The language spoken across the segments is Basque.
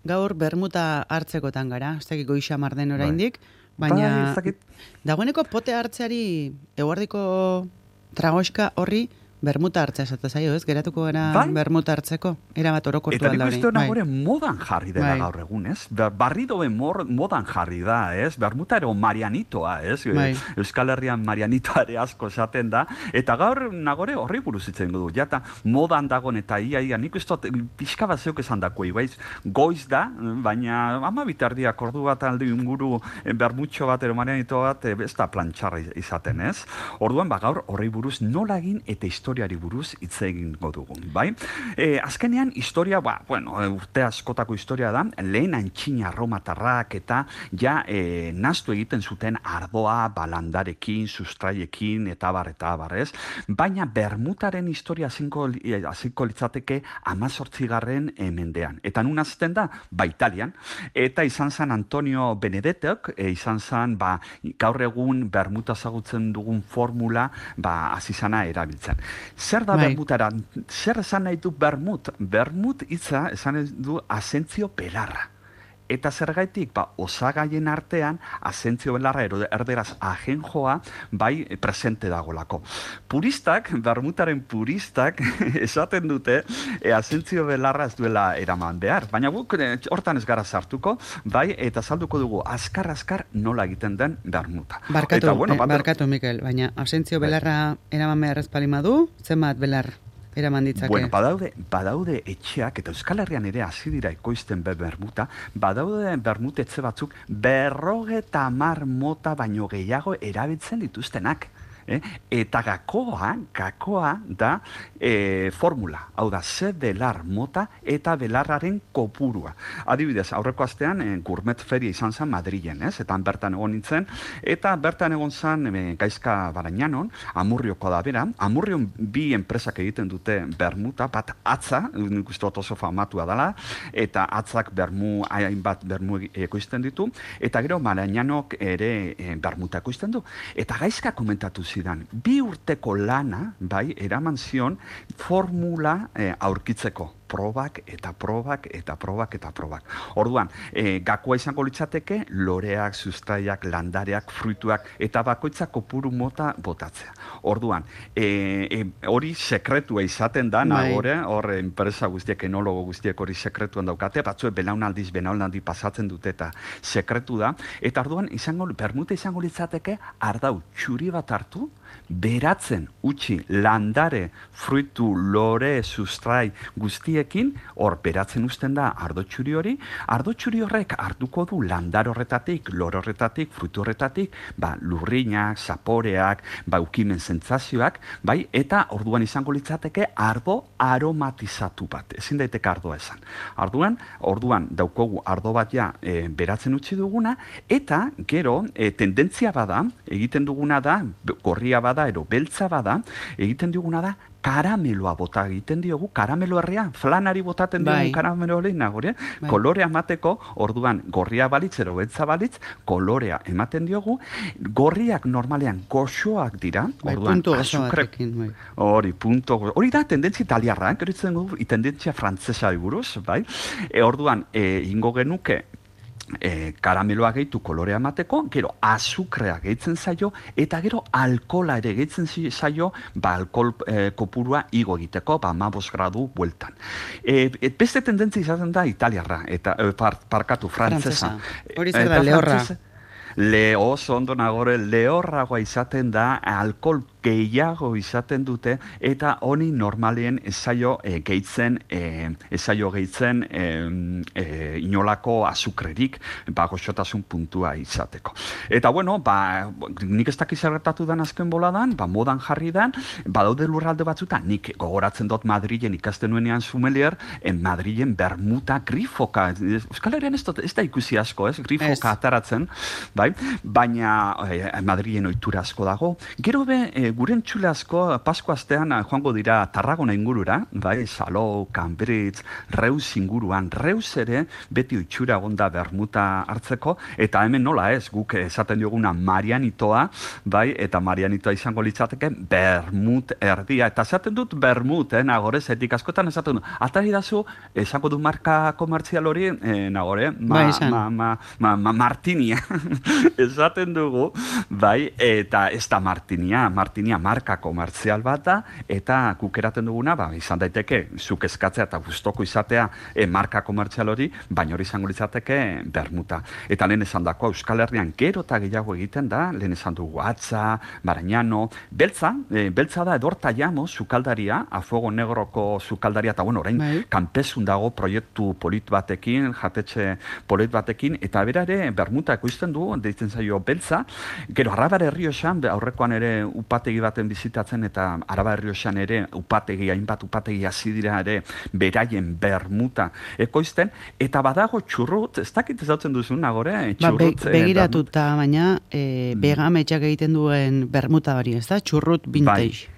gaur bermuta hartzekotan gara, ez dakit goixa marden oraindik, baina dagoeneko pote hartzeari eguardiko tragoxka horri bermuta hartzea esatu zaio, ez? Geratuko gara bermuta hartzeko, erabat orokortu alda hori. Eta nik uste modan jarri dela gaur egun, ez? Barridoen modan jarri da, ez? Bermuta ero Marianitoa, ez? Euskal Herrian Marianitoare asko esaten da, eta gaur nagore horri buruz itzen du. Jata modan dagoen eta ia, nik uste pixka bat zeuk esan dako, goiz da, baina ama bitardiak ordu bat aldi inguru bermutxo bat ero Marianito bat, ez da plantxarra izaten, ez? Orduan, gaur horri buruz nola egin eta historiari buruz hitz egingo dugun, bai? Azkenean, historia, urte askotako historia da, lehen antxina romatarrak eta ja naztu egiten zuten ardoa, balandarekin, sustraiekin, eta bar, ez? Baina bermutaren historia hasiko litzateke 18. mendean. Eta nun azten da? Italian. Eta izan zen Antonio Benedettok, izan zen, gaur egun bermuta zagutzen dugun formula, azizana erabiltzen. Zer da bermutara? Zer esan nahi du bermut? Bermut hitza esan du asentzio belarra. Eta zergaitik, osagaien artean, asentzio belarra, erderaz ajenjoa, presente dagolako. Puristak, bermutaren puristak, esaten dute, asentzio belarra ez duela eraman behar. Baina guk, hortan ez gara sartuko, eta salduko dugu, azkar nola egiten den bermuta. Barkatu, Mikel, baina asentzio belarra eraman behar ez palimadu, zenbat belar eraman ditzake? Bueno, badaude etxeak, eta Euskal Herrian ere hasi dira ekoizten bermuta, badaude bermutetze batzuk 50 mota baino gehiago erabiltzen dituztenak. Eta gakoa da formula, hau da, ze belar mota eta belarraren kopurua. Adibidez, aurreko astean gourmet feria izan zen Madrilen, eta bertan egon nintzen, eta bertan egon zen Gaizka Barañanon, Amurrioko da bera, Amurrion bi enpresak egiten dute bermuta, bat atza, nik uste oso famatua dela, eta atzak hainbat bermu ekoizten ditu, eta gero Barañanok ere bermuta ekoizten du. Eta Gaizka komentatu zidan, 2 urteko lana, eraman zion formula aurkitzeko. Probak. Orduan, gakoa izango litzateke, loreak, sustraiak, landareak, fruituak, eta bakoitzak kopuru mota botatzea. Orduan, hori sekretua izaten da, nagore, hor enpresa guztiek, enologo guztiek hori sekretuan daukate, batzuek belaunaldi pasatzen dute eta sekretu da, eta orduan, bermuta izango litzateke, ardau txuri bat hartu, beratzen utzi landare, fruitu, lore, sustrai guztiekin, hor beratzen uzten da ardo txuri horrek hartuko du landar horretatik, lore horretatik, fruitu horretatik, lurrinak, zaporeak, ukimen sentsazioak, eta orduan izango litzateke ardo aromatizatu bat, ezin daiteke ardoa esan. Orduan daukogu ardo bat beratzen utzi duguna, eta gero tendentzia bada, egiten duguna da, gorria bada, ero beltza bada, egiten duguna da, karameloa bota egiten diogu, karamelo herria, flanari botaten diogu karamelo hori, kolorea emateko, orduan gorria balitz, ero beltza balitz, kolorea ematen diogu, gorriak normalean goxoak dira, orduan azukre, hori da tendentzia italiarra, tendentzia frantzesa buruz, orduan ingo genuke, karameloa gehitu kolorea emateko, gero azukrea gehitzen zaio, eta gero alkola ere gehitzen zaio, alkohol kopurua igo egiteko, 15 gradu bueltan. Beste tendentzia izaten da italiarra, eta parkatu frantzesa. Hori zer da, lehorra. Oso ondo nagore, lehorragoa izaten da, alkohol gehiago izaten dute, eta honi normalien ez zaio gehitzen inolako azukrerik, goxotasun puntua izateko. Eta nik ez dakiz gertatu den azken boladan, modan jarri den, badaude lurralde batzutan, nik gogoratzen dut Madrilen ikasten nuenean sommelier, Madrilen bermuta grifoka, Euskal Herrian ez da ikusi asko, grifoka ataratzen, baina Madrilen ohitura asko dago. Gero gure entzule asko Pasko astean joango dira Tarragona ingurura, bai, Salou, Cambridge, Reus inguruan. Reus ere beti itxura egonda bermuta hartzeko, eta hemen nola ez, guk esaten dioguna Marianitoa, bai, eta Marianitoa izango litzateke bermut erdia, eta esaten dut bermut, nagore, zetik askotan esaten dut, atari dazu, esango du marka komertzial hori, nagore, Martinia, esaten dugu, bai, eta ez da Martinia marka komertzial bat da, eta kukeraten duguna, izan daiteke, zuk eskatzea eta gustoko izatea marka komertzial hori, baina hori izango litzateke bermuta. Eta lehen esan dako, Euskal Herrian gero eta gehiago egiten da, lehen esan dugu Atza, Barañano, beltza da Edorta Llamo, sukaldaria, A Fuego Negroko sukaldaria, eta bueno, orain, kanpesun dago proiektu polit batekin, jatetxe polit batekin, eta bera ere bermuta ekoizten du, deitzen zaio beltza, gero Arabar Errioxan, aurrekoan ere upategi baten bizitatzen, eta Arabar Errioxan ere hainbat upategi hasi dira ere beraien bermuta ekoizten, eta badago txurrut, ez dakit ezautzen duzun, nagore, txurrut. Begiratuta, baina begametxak egiten duen bermuta hori, ez da? Txurrut vintage.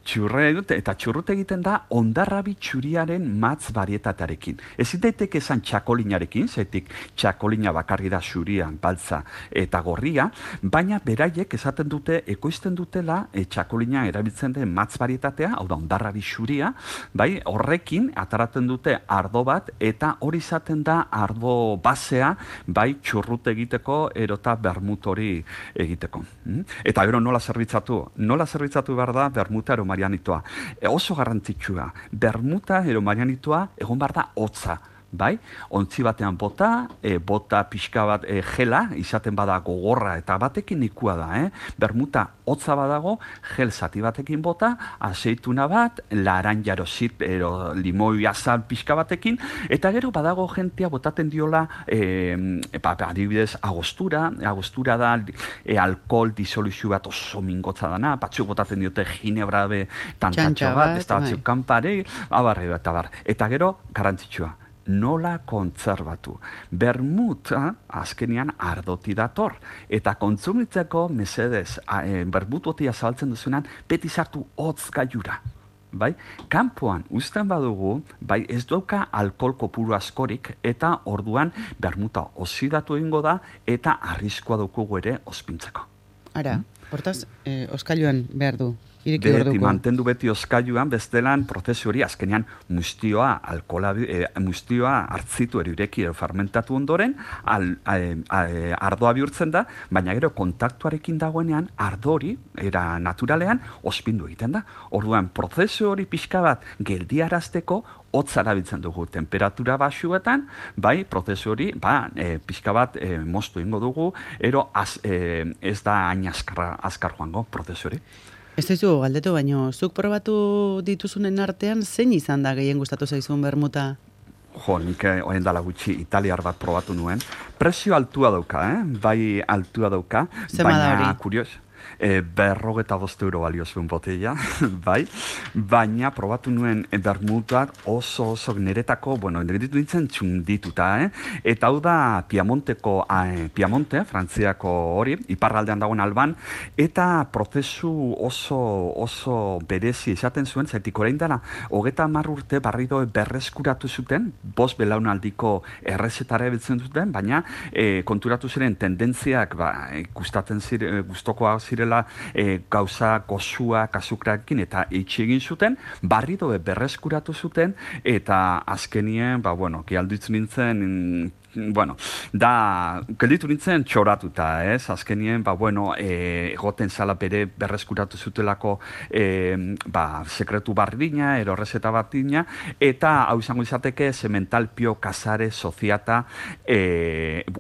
Eta txurrut egiten da ondarrabi txuriaren matz barietatearekin. Ezin daiteke esan txakolinarekin, zetik txakolina bakarri da xurian, baltza eta gorria, baina beraiek esaten dute, ekoizten dutela txakolina erabiltzen den matz barietatea, hau da ondarrabi xuria, bai, horrekin ataratzen dute ardo bat, eta hori izaten da ardo basea, bai, txurrut egiteko, erota bermut hori egiteko. Eta gero nola zerbitzatu behar da bermuta Marianitoa. Oso garrantzitsua. Bermuta ero Marianitoa egon behar da hotza. Bai, ontzi batean bota pixka bat gela, izaten bada gogorra eta batekin ikua da, Bermuta hotza badago, gel zati batekin bota, azeituna bat, laranjaro zit, limoi azal pixka batekin, eta gero badago jentia botaten diola, adibidez, agostura da alkohol disoluzio bat oso mingotza dana, batzuk botaten diote ginebrabe tantatxo bat, ez da batzuk kanpare, eta gero garantzitsua. Nola kontzerbatu. Bermuta, azkenian, ardoti dator. Eta kontsumitzeko, mesedez, bermutotia zabaltzen duzunan, beti sartu hotz gaiura. Bai? Kanpoan uzten badugu, bai, ez dauka alkohol kopuru askorik, eta orduan bermuta oxidatu egingo da, eta arriskoa daukugu ere ospintzeko. Ara, hortaz, oskailuan behar du. Beti, mantendu beti oskailuan, bestelan prozesu hori azkenean mustioa hartzitu erireki fermentatu ondoren, ardoa bihurtzen da, baina gero kontaktuarekin dagoenean ardo hori, era naturalean, ospindu egiten da. Orduan, prozesu hori pixka bat geldiarazteko hotz erabiltzen dugu temperatura baxuetan, bai, prozesu hori, pixka bat moztu ingo dugu, ero ez da hain azkar joango prozesu hori. Ez dizu galdetu, baino, zuk probatu dituzunen artean, zein izan da gehien gustatu zaizun bermuta? Nik oendala gutxi italiar bat probatu nuen. Prezio altua dauka, bai altua dauka. Zema da hori? Kurios. 45 euro balio zuen botella, bai, baina probatu nuen bermutak oso niretako, niretu nintzen txundituta, eta hau da Piemonte, Frantziako hori, iparraldean dagoen Alban, eta prozesu oso berezi esaten zuen, zaitik orain dara, 30 urte barrido berreskuratu zuten, 5 belaunaldiko errezetara ebiltzen zuten, baina konturatu ziren tendentziak gustokoa zirela gauza gozua kasukrakin eta itxegin zuten, barrido berreskuratu zuten, eta azkenien, gialduitzen nintzen, gelditu nintzen txoratuta, azkenien, egoten zala bere berreskuratu zutelako sekretu bardina, erorrezeta batina, eta hau izango izateke Sementalpio Casare Soziata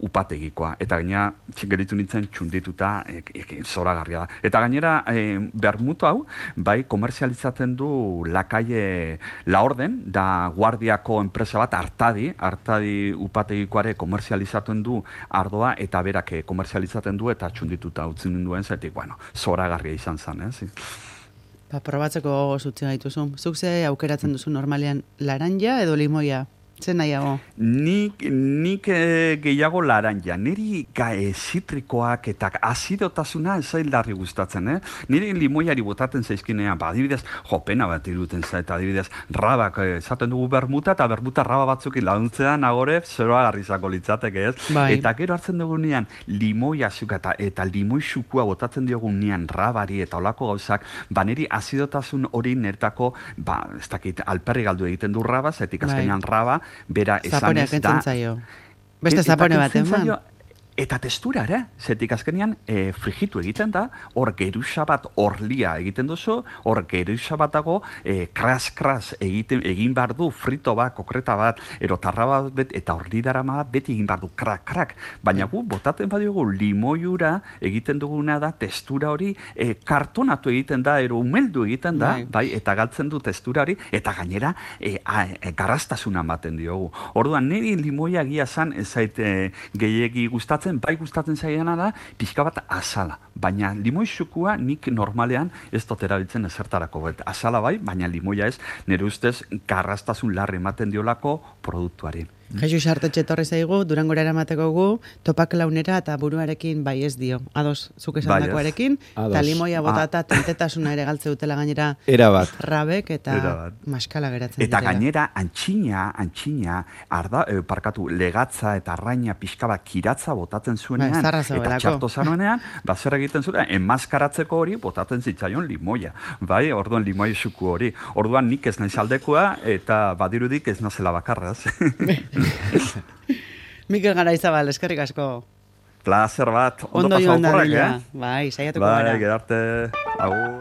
upategikoa. Eta gaina, gelditu nintzen txundituta, zoragarria da. Eta gainera, bermutu hau, komerzializatzen du La Orden, da guardiako enpresa bat, Artadi upategikoa komerzializatzen du ardoa, eta berak komerzializaten du eta txundituta utzin duen zetik, zoragarria izan zen, Probatzeko zutzen gaituzu. Zuk ze aukeratzen duzu normalean laranja edo limoia? Zer nahiago? Nik nik gehiago laranja. Niri zitrikoak eta azidotasuna esain larri gustatzen, Niri limoiari botatzen zaizkinean, adibidez, pena bat iruten zait, adibidez, rabak, esaten dugu bermuta, eta bermuta raba batzukin launtzean, agore, zeroa garrizako litzateke, ez? Bai. Eta gero hartzen dugunean, limoi azuka eta limoi xukua botatzen diogunean rabari eta olako gauzak, niri azidotasun hori nertako, ez dakit, alperri galdu egiten du raba, zetik azkenean raba, bera esan ez da. Beste zapone bat, eman? Eta testura, zetik azkenean frigitu egiten da, hor geruza bat orlia egiten duzu, hor geruza batago kras-kras egin behar du, frito bat, kokreta bat, erotarra bat, eta orli darama bat, beti egin behar du, krak-krak. Baina gu, botaten badiogu limoiura egiten duguna da, testura hori kartonatu egiten da, umeldu egiten da, bai, eta galtzen du testura hori, eta gainera garrastasuna ematen diogu. Orduan, niri limoia gia zan, ez zait gehiegi gustatzen, bai gustatzen zaiena da, pixka bat azala. Baina limoi xukua nik normalean ez dut erabiltzen ezertarako. Azala bai, baina limoia ez, nire ustez garrastasun larri ematen diolako produktuari. Jesus Artetxe torri zaigu, Durangora eramateko gu, topak launera eta buruarekin bai ez dio. Ados, zuk esan dakoarekin, eta limoia botata tentetasuna ere galtze dutela gainera rabek eta maskala geratzen dutela. Eta gainera, antxina, legatza eta arraina pixka bat kiratza botatzen zuenean, eta txarto zanuenean, zer egiten zuen, enmaskaratzeko hori botatzen zitzaion limoia. Bai, orduan limoia xuku hori. Orduan nik ez naiz aldekoa, eta badirudik ez nazela bakarraz. Mikel Garaizabal, eskerrik asko. Plazer bat. Ondo joan da. Bai, saiatuko gara. Bai, gerarte. Agur.